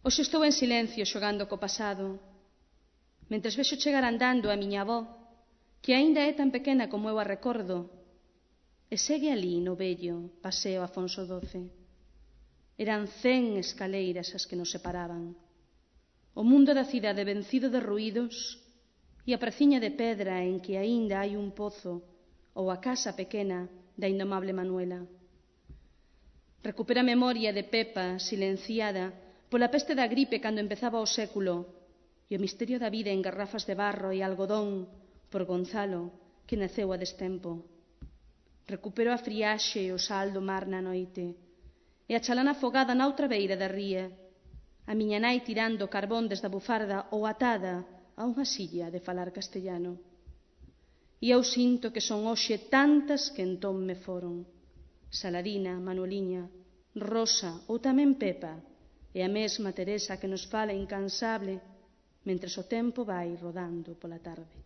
Hoxe estou en silencio xogando co pasado, mentres vexo chegar andando a miña avó, que aínda é tan pequena como eu a recordo, e segue ali no vello Paseo Afonso XII. Eran 100 escaleiras as que nos separaban. O mundo da cidade vencido de ruídos e a praciña de pedra en que aínda hai un pozo ou a casa pequena da indomable Manuela. Recupero a memoria de Pepa silenciada pola peste da gripe cando empezaba o século e o misterio da vida en garrafas de barro e algodón por Gonzalo, que naceu a destempo. Recupero a friaxe e o sal do mar na noite e a chalana afogada na outra beira da ría, a miña nai tirando carbón desde a bufarda ou atada a unha silla de falar castellano. E eu sinto que son hoxe tantas que entón me foron: Salarina, Manueliña, Rosa ou tamén Pepa, e a mesma Teresa que nos fala incansable mentres o tempo vai rodando pola tarde.